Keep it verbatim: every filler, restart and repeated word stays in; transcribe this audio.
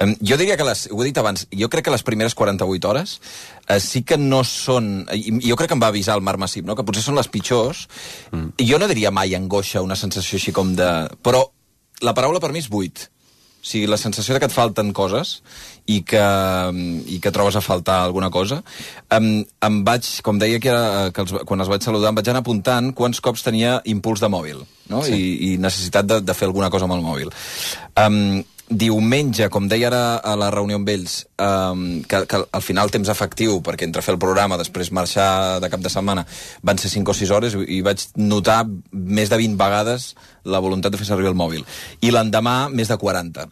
Um, jo diria que, les, ho he dit abans, jo crec que les primeres quaranta-vuit hores uh, sí que no són... Jo crec que em va avisar el Marc Massip, no? Que potser són les pitjors. Mm. Jo no diria mai angoixa, una sensació així com de... Però la paraula per mi és buit. O sigui, la sensació de que et falten coses i que, i que trobes a faltar alguna cosa. Em, em vaig, com deia que, era, que els, quan els vaig saludar, em vaig anar apuntant quants cops tenia impuls de mòbil, no? Sí. I, i necessitat de, de fer alguna cosa amb el mòbil. Um, diumenge, com deia ara a la reunió amb ells, um, que, que al final temps efectiu, perquè entre fer el programa, després marxar de cap de setmana, van ser cinc o sis hores i vaig notar més de vint vegades la voluntat de fer servir el mòbil. I l'endemà, més de quaranta.